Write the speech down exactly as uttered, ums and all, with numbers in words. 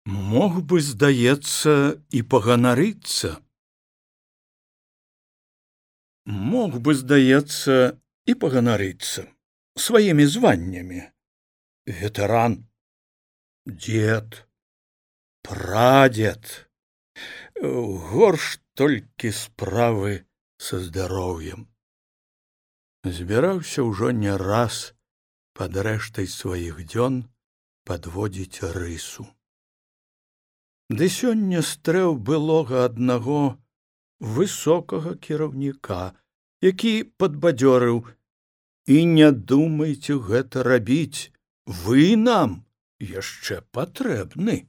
Мог бы, здаецца, і паганарыцца. Мог бы, здаецца, і паганарыцца сваімі званнямі. Ветэран, дзед, прадзед. Горш толькі справы са здароўем. Збіраўся ўжо не раз пад рэштай сваіх дзён падводзіць рысу. Ды сёння стрэў былога аднаго высокага кіраўніка, які падбадзёрыў: «І не думайце гэта рабіць, вы нам яшчэ патрэбны».